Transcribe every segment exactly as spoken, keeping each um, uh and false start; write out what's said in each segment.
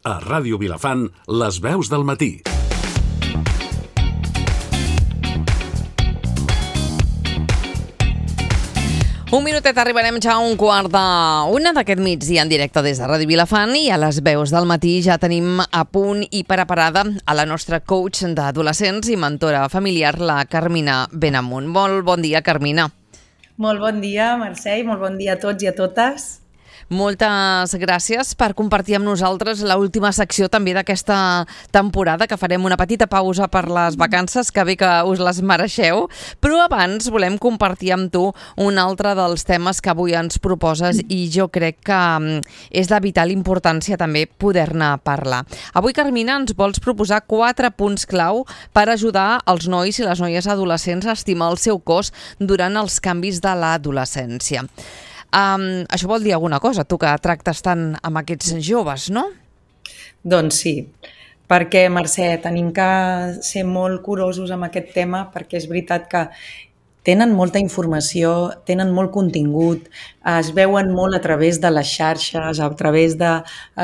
A Ràdio Vilafant, les veus del matí. Un minutet, arribarem ja a un quart d'una d'aquest migdia en directe des de Ràdio Vilafant i a les veus del matí ja tenim a punt i preparada a la nostra coach d'adolescents i mentora familiar, la Carmina Benamunt. Molt bon dia, Carmina. Molt bon dia, Mercè, i molt bon dia a tots i a totes. Moltes gràcies per compartir amb nosaltres l'última secció també d'aquesta temporada, que farem una petita pausa per les vacances, que bé que us les mereixeu, però abans volem compartir amb tu un altre dels temes que avui ens proposes i jo crec que és de vital importància també poder-ne parlar. Avui, Carmina, ens vols proposar quatre punts clau per ajudar els nois i les noies adolescents a estimar el seu cos durant els canvis de l'adolescència. Um, això vol dir alguna cosa, tu que tractes tant amb aquests joves, no? Doncs sí, perquè, Mercè, tenim que ser molt curosos amb aquest tema, perquè és veritat que tenen molta informació, tenen molt contingut, es veuen molt a través de les xarxes, a través de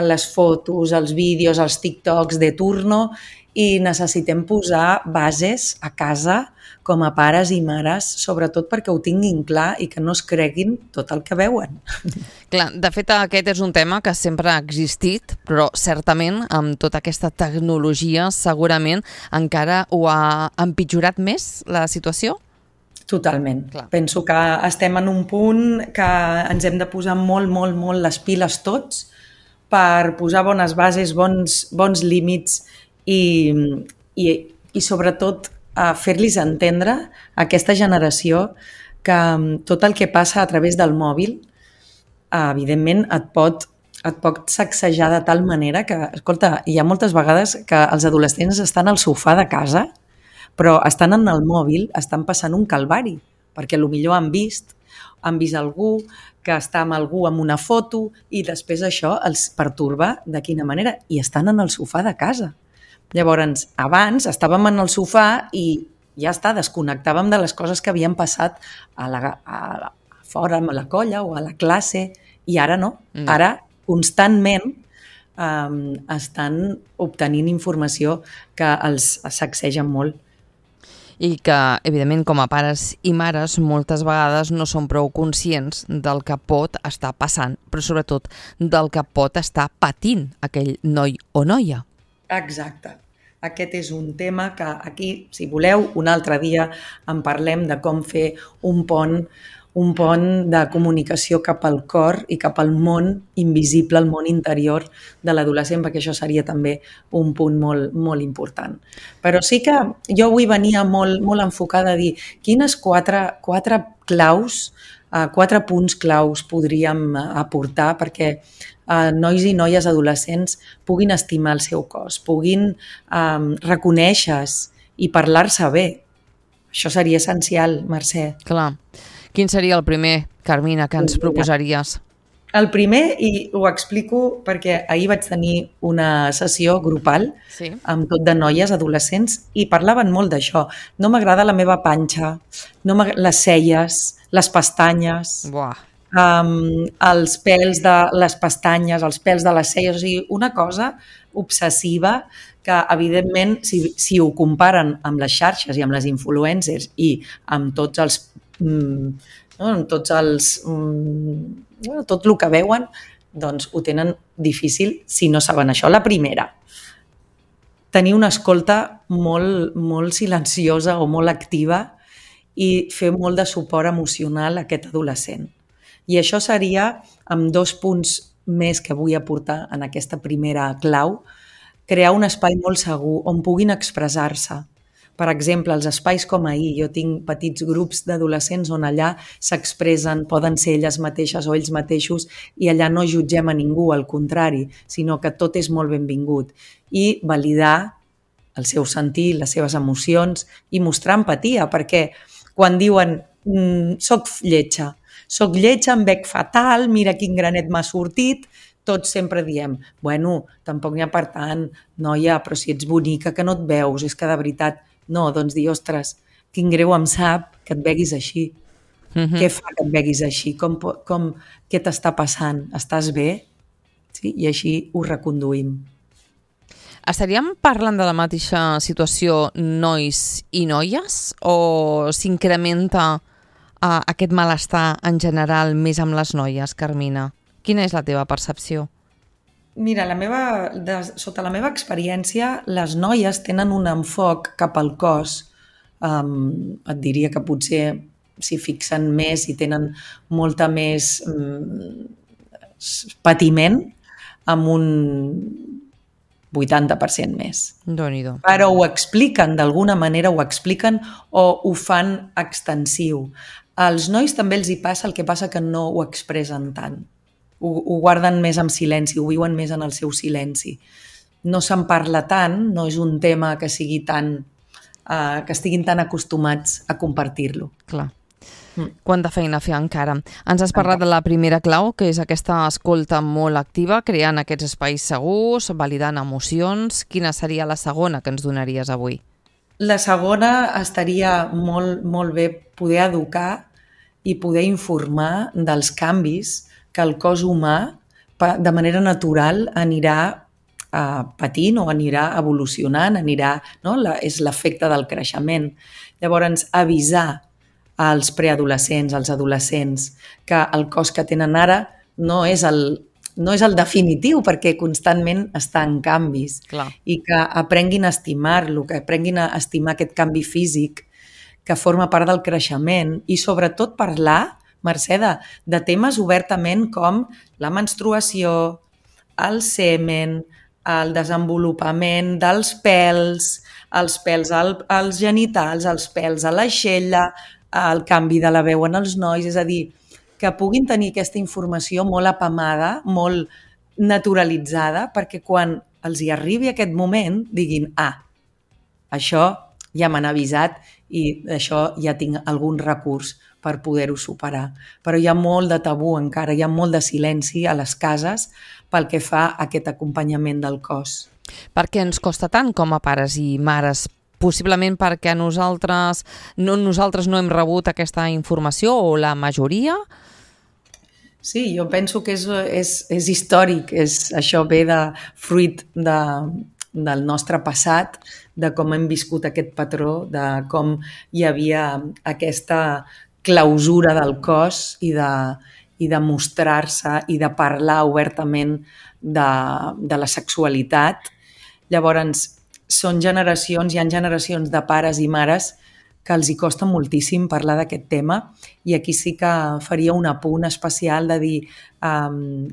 les fotos, els vídeos, els TikToks de turno, i necessitem posar bases a casa com a pares i mares, sobretot perquè ho tinguin clar i que no es creguin tot el que veuen. Clar, de fet, aquest és un tema que sempre ha existit, però certament amb tota aquesta tecnologia segurament encara ho ha empitjorat més la situació? Totalment. Clar. Penso que estem en un punt que ens hem de posar molt, molt, molt les piles tots per posar bones bases, bons, bons límits i, i, i sobretot a fer-los entendre a aquesta generació que tot el que passa a través del mòbil evidentment et pot, et pot sacsejar de tal manera que, escolta, hi ha moltes vegades que els adolescents estan al sofà de casa però estan en el mòbil, estan passant un calvari, perquè potser han vist, han vist algú que està amb algú amb una foto i després això els pertorba de quina manera i estan en el sofà de casa. Llavors, abans estàvem en el sofà i ja està, desconnectàvem de les coses que havien passat a la, a, a fora amb la colla o a la classe i ara no. Mm. Ara constantment um, estan obtenint informació que els sacsegen molt. I que, evidentment, com a pares i mares, moltes vegades no són prou conscients del que pot estar passant, però sobretot del que pot estar patint aquell noi o noia. Exacte. Aquest és un tema que aquí, si voleu, un altre dia en parlem de com fer un pont, un pont de comunicació cap al cor i cap al món invisible, el món interior de l'adolescent, perquè això seria també un punt molt, molt important. Però sí que jo avui venia molt, molt enfocada a dir quines quatre, quatre claus, eh, quatre punts claus podríem aportar perquè Uh, nois i noies adolescents puguin estimar el seu cos, puguin um, reconèixer-se i parlar-se bé. Això seria essencial, Mercè. Clar. Quin seria el primer, Carmina, que ens proposaries? El primer, i ho explico perquè ahir vaig tenir una sessió grupal sí. amb tot de noies adolescents i parlaven molt d'això. No m'agrada la meva panxa, no les celles, les pestanyes... Buah. Um, els pèls de les pestanyes, els pèls de les celles, o sigui, una cosa obsessiva que, evidentment, si, si ho comparen amb les xarxes i amb les influencers i amb tots els... Mm, no, amb tots els... Mm, tot el que veuen, doncs ho tenen difícil si no saben això. La primera, tenir una escolta molt, molt silenciosa o molt activa i fer molt de suport emocional a aquest adolescent. I això seria, amb dos punts més que vull aportar en aquesta primera clau, crear un espai molt segur on puguin expressar-se. Per exemple, els espais com ahir, jo tinc petits grups d'adolescents on allà s'expressen, poden ser elles mateixes o ells mateixos i allà no jutgem a ningú, al contrari, sinó que tot és molt benvingut. I validar el seu sentir, les seves emocions i mostrar empatia, perquè quan diuen mm, soc lletja, soc lletja, em veig fatal, mira quin granet m'ha sortit, tots sempre diem, bueno, tampoc n'hi ha per tant, noia, però si ets bonica que no et veus, és que de veritat, no, doncs dir, ostres, quin greu em sap que et veguis així. Mm-hmm. Què fa que et veguis així? Com, com, què t'està passant? Estàs bé? Sí? I així ho reconduïm. Estaríem parlant de la mateixa situació nois i noies o s'incrementa uh, aquest malestar en general més amb les noies, Carmina? Quina és la teva percepció? Mira, la meva, de, sota la meva experiència, les noies tenen un enfoc cap al cos. Um, et diria que potser s'hi fixen més i tenen molta més um, patiment amb un vuitanta per cent més. Déu-n'hi-do. Però ho expliquen, d'alguna manera ho expliquen o ho fan extensiu. Als nois també els hi passa, el que passa que no ho expressen tant. Ho, ho guarden més en silenci, ho viuen més en el seu silenci. No se'n parla tant, no és un tema que sigui tan, uh, que estiguin tan acostumats a compartir-lo. Clar. Mm. Quanta feina a fer encara. Ens has parlat de la primera clau, que és aquesta escolta molt activa, creant aquests espais segurs, validant emocions. Quina seria la segona que ens donaries avui? La segona estaria molt, molt bé poder educar i poder informar dels canvis que el cos humà de manera natural anirà uh, patint o anirà evolucionant, anirà, no? La, és l'efecte del creixement. Llavors, avisar als preadolescents, als adolescents, que el cos que tenen ara no és el, no és el definitiu perquè constantment està en canvis. Clar. I que aprenguin a estimar-lo, que aprenguin a estimar aquest canvi físic que forma part del creixement i sobretot parlar, Mercè, de, de temes obertament com la menstruació, el semen, el desenvolupament dels pèls, els pèls al, als genitals, els pèls a l'aixella, el canvi de la veu en els nois, és a dir, que puguin tenir aquesta informació molt apamada, molt naturalitzada, perquè quan els hi arribi aquest moment diguin, ah, això ja m'han avisat i d'això ja tinc algun recurs per poder-ho superar. Però hi ha molt de tabú encara, hi ha molt de silenci a les cases pel que fa a aquest acompanyament del cos. Per què ens costa tant com a pares i mares? Possiblement perquè nosaltres no, nosaltres no hem rebut aquesta informació o la majoria? Sí, jo penso que és, és, és històric, és, això ve de fruit de, del nostre passat, de com hem viscut aquest patró, de com hi havia aquesta clausura del cos i de, i de mostrar-se i de parlar obertament de, de la sexualitat. Llavors, són generacions, hi ha generacions de pares i mares que els hi costa moltíssim parlar d'aquest tema i aquí sí que faria un apunt especial de dir um,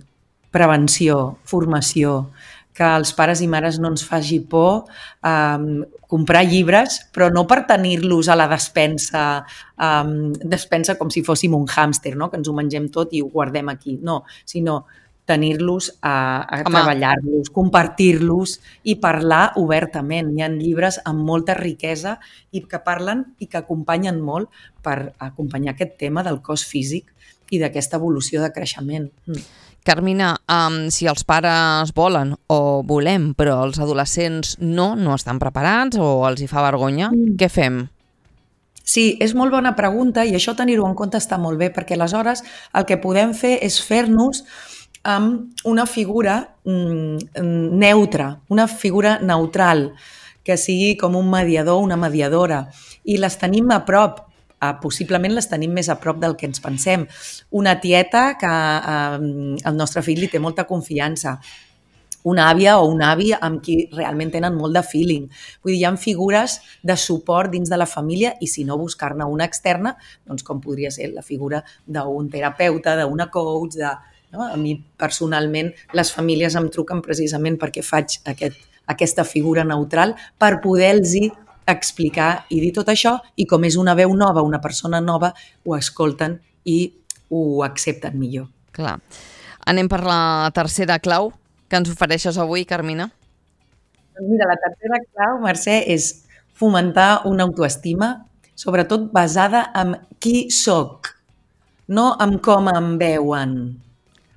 prevenció, formació, que als pares i mares no ens faci por um, comprar llibres, però no per tenir-los a la despensa, um, despensa com si fóssim un hàmster, no? Que ens ho mengem tot i ho guardem aquí. No, sinó tenir-los, a, a treballar-los, compartir-los i parlar obertament. Hi ha llibres amb molta riquesa i que parlen i que acompanyen molt per acompanyar aquest tema del cos físic i d'aquesta evolució de creixement. Mm. Carmina, um, si els pares volen o volem, però els adolescents no, no estan preparats o els hi fa vergonya, mm. què fem? Sí, és molt bona pregunta i això tenir-ho en compte està molt bé perquè aleshores el que podem fer és fer-nos amb una figura mm, neutra, una figura neutral, que sigui com un mediador, una mediadora, i les tenim a prop. Uh, possiblement les tenim més a prop del que ens pensem. Una tieta que uh, el nostre fill li té molta confiança, una àvia o un avi amb qui realment tenen molt de feeling. Vull dir, hi ha figures de suport dins de la família i si no buscar-ne una externa, doncs com podria ser la figura d'un terapeuta, d'una coach, de... No? A mi personalment les famílies em truquen precisament perquè faig aquest, aquesta figura neutral per poder-los explicar i dir tot això i com és una veu nova, una persona nova, ho escolten i ho accepten millor. Clar. Anem per la tercera clau que ens ofereixes avui, Carmina. Mira, la tercera clau, Mercè, és fomentar una autoestima, sobretot basada en qui soc, no en com em veuen,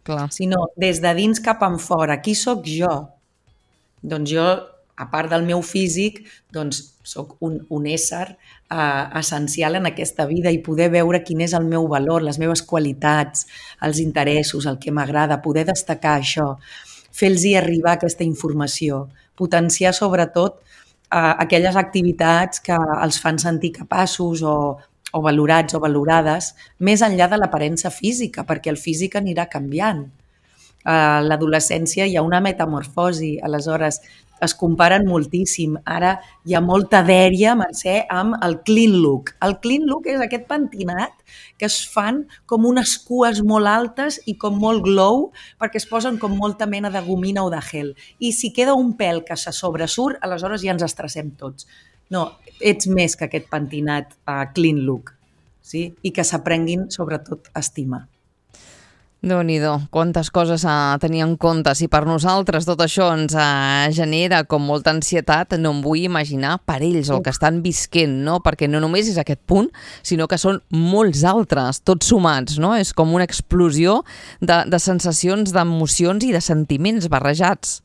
Clar. sinó des de dins cap en fora. Qui soc jo? Doncs jo, a part del meu físic, doncs soc un, un ésser eh, essencial en aquesta vida i poder veure quin és el meu valor, les meves qualitats, els interessos, el que m'agrada, poder destacar això. fer-los arribar aquesta informació, potenciar sobretot eh, aquelles activitats que els fan sentir capaços o, o valorats o valorades, més enllà de l'aparença física, perquè el físic anirà canviant. A l'adolescència hi ha una metamorfosi, aleshores es comparen moltíssim. Ara hi ha molta dèria, Mercè, amb el clean look. El clean look és aquest pentinat que es fan com unes cues molt altes i com molt glow, perquè es posen com molta mena de gomina o de gel. I si queda un pèl que se sobresurt, aleshores ja ens estressem tots. No, ets més que aquest pentinat uh, clean look, sí? I que s'aprenguin, sobretot, a estimar. Déu-n'hi-do, quantes coses a tenir en compte. Si per nosaltres tot això ens eh, genera com molta ansietat, no em vull imaginar per ells el que estan visquent, no? Perquè no només és aquest punt, sinó que són molts altres, tots sumats, no? És com una explosió de, de sensacions, d'emocions i de sentiments barrejats.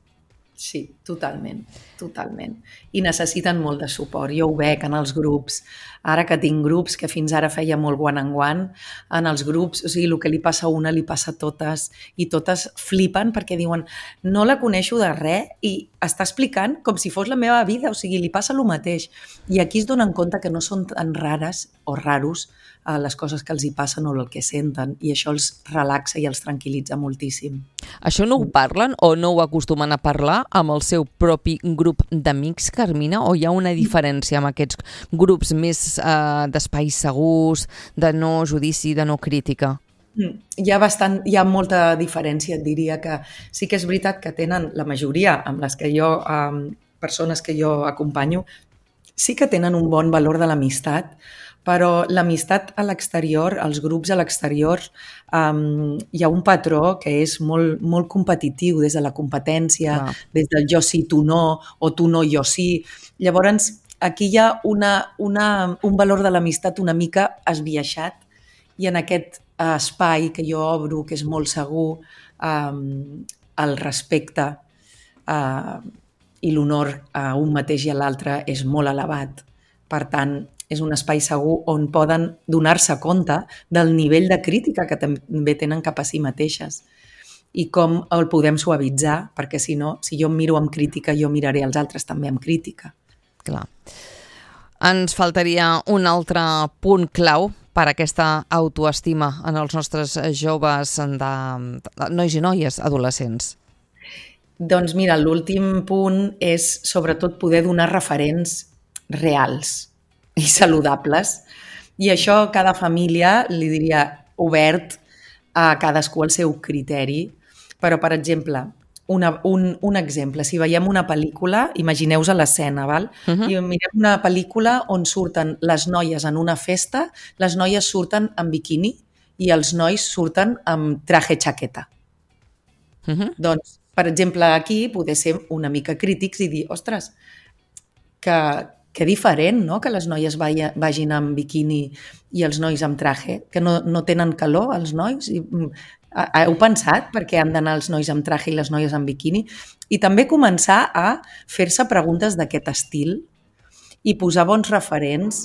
Sí, totalment, totalment. I necessiten molt de suport. Jo ho veig en els grups. Ara que tinc grups, que fins ara feia molt one en one, en els grups, o sigui, el que li passa a una li passa a totes, i totes flipen perquè diuen no la coneixo de res i està explicant com si fos la meva vida, o sigui, li passa el mateix. I aquí es donen compte que no són tan rares o raros a les coses que els hi passen o el que senten, i això els relaxa i els tranquil·litza moltíssim. Això no ho parlen o no ho acostumen a parlar amb el seu propi grup d'amics, Carmina, o hi ha una diferència amb aquests grups més eh, d'espais segurs, de no judici, de no crítica? Hi ha, bastant, hi ha molta diferència, et diria que sí que és veritat que tenen la majoria amb les que jo, eh, persones que jo acompanyo, sí que tenen un bon valor de l'amistat, però l'amistat a l'exterior, els grups a l'exterior, um, hi ha un patró que és molt, molt competitiu, des de la competència, ah. des del jo sí, tu no, o tu no, jo sí. Llavors, aquí hi ha una, una, un valor de l'amistat una mica esbiaixat, i en aquest espai que jo obro, que és molt segur, um, el respecte uh, i l'honor a un mateix i a l'altre és molt elevat. Per tant, és un espai segur on poden donar-se compte del nivell de crítica que també tenen cap a si mateixes i com el podem suavitzar, perquè si no, si jo em miro amb crítica, jo miraré els altres també amb crítica. Clar. Ens faltaria un altre punt clau per a aquesta autoestima en els nostres joves, de, de nois i noies adolescents. Doncs mira, l'últim punt és sobretot poder donar referents reals i saludables, i això cada família li diria obert a cadascú el seu criteri, però per exemple, una, un, un exemple, si veiem una pel·lícula, imagineu-vos l'escena, val? Uh-huh. I mirem una pel·lícula on surten les noies en una festa, les noies surten en biquini i els nois surten amb traje chaqueta. Uh-huh. Doncs, per exemple, aquí poder ser una mica crítics i dir, ostres, que que diferent, no?, que les noies vagin amb biquini i els nois amb traje, que no, no tenen calor, els nois. I, heu pensat per què han d'anar els nois amb traje i les noies amb biquini? I també començar a fer-se preguntes d'aquest estil i posar bons referents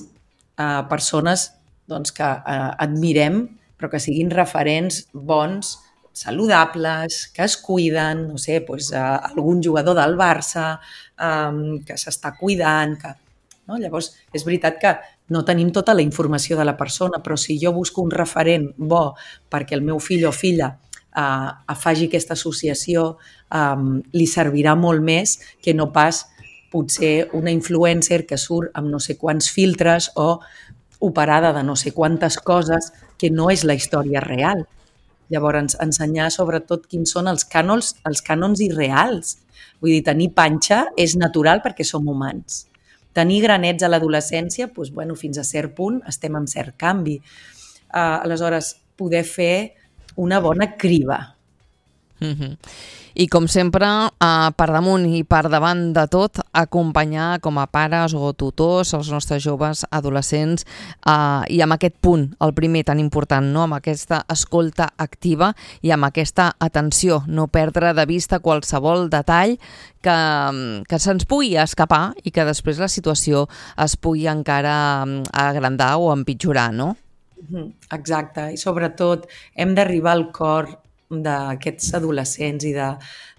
a persones doncs, que eh, admirem, però que siguin referents bons, saludables, que es cuiden, no sé, doncs, eh, algun jugador del Barça eh, que s'està cuidant, que... No? Llavors, és veritat que no tenim tota la informació de la persona, però si jo busco un referent bo perquè el meu fill o filla eh, faci aquesta associació, eh, li servirà molt més que no pas potser una influencer que surt amb no sé quants filtres o operada de no sé quantes coses que no és la història real. Llavors, ensenyar sobretot quins són els cànons, els cànons irreals. Vull dir, tenir panxa és natural perquè som humans. Tenir granets a l'adolescència, doncs, bueno, fins a cert punt estem en cert canvi. Uh, aleshores, poder fer una bona criba. Mm-hmm. I com sempre, eh, per damunt i per davant de tot, acompanyar com a pares o tutors els nostres joves adolescents eh, i amb aquest punt, el primer tan important, no? Amb aquesta escolta activa i amb aquesta atenció, no perdre de vista qualsevol detall que, que se'ns pugui escapar i que després la situació es pugui encara agrandar o empitjorar, no? Exacte, i sobretot hem d'arribar al cor d'aquests adolescents i de,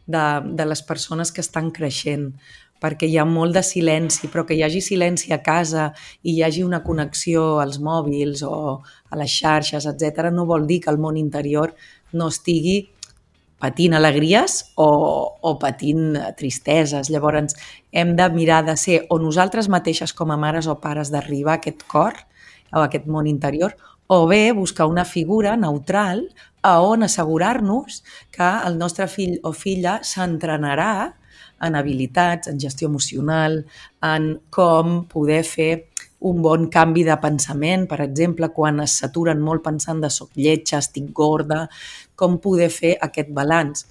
de, de les persones que estan creixent, perquè hi ha molt de silenci, però que hi hagi silenci a casa i hi hagi una connexió als mòbils o a les xarxes, etcètera, no vol dir que el món interior no estigui patint alegries o, o patint tristeses. Llavors, hem de mirar de ser o nosaltres mateixes com a mares o pares d'arribar a aquest cor o a aquest món interior, o bé buscar una figura neutral a on assegurar-nos que el nostre fill o filla s'entrenarà en habilitats, en gestió emocional, en com poder fer un bon canvi de pensament, per exemple, quan es saturen molt pensant de soc lletja, estic gorda, com poder fer aquest balanç.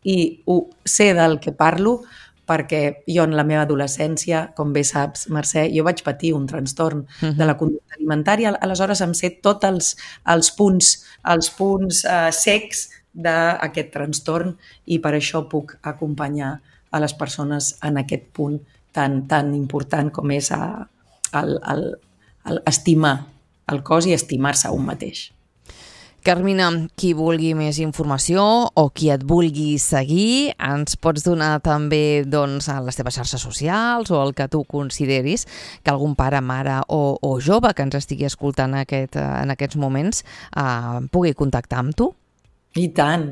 I ho sé del que parlo perquè jo en la meva adolescència, com bé saps, Mercè, jo vaig patir un trastorn uh-huh. de la conducta alimentària, aleshores em sé tots els, els punts, els punts uh, secs d'aquest trastorn i per això puc acompanyar a les persones en aquest punt tan, tan important com és a, el, el, el estimar el cos i estimar-se a un mateix. Carmina, qui vulgui més informació o qui et vulgui seguir, ens pots donar també doncs, a les teves xarxes socials o el que tu consideris que algun pare, mare o, o jove que ens estigui escoltant aquest, en aquests moments eh, pugui contactar amb tu? I tant,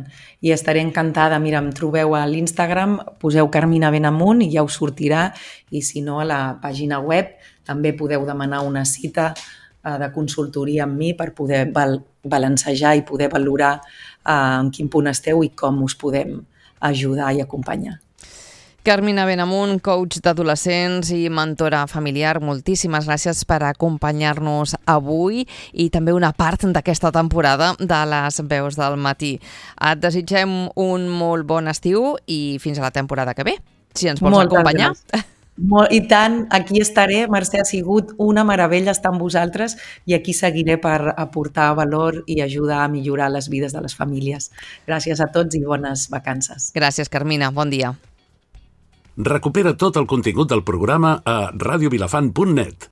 i estaré encantada. Mira, em trobeu a l'Instagram, poseu Carmina Benamunt i ja us sortirà, i si no a la pàgina web també podeu demanar una cita eh, de consultoria amb mi per poder val- balancejar i poder valorar eh, en quin punt esteu i com us podem ajudar i acompanyar. Carmina Benamunt, coach d'adolescents i mentora familiar, moltíssimes gràcies per acompanyar-nos avui i també una part d'aquesta temporada de les veus del matí. Et desitgem un molt bon estiu i fins a la temporada que ve, si ens vols Moltes acompanyar. Molt, I tant, aquí estaré. Mercè, ha sigut una meravella estar amb vosaltres i aquí seguiré per aportar valor i ajudar a millorar les vides de les famílies. Gràcies a tots i bones vacances. Gràcies, Carmina. Bon dia. Recupera tot el contingut del programa a radiovilafant punt net.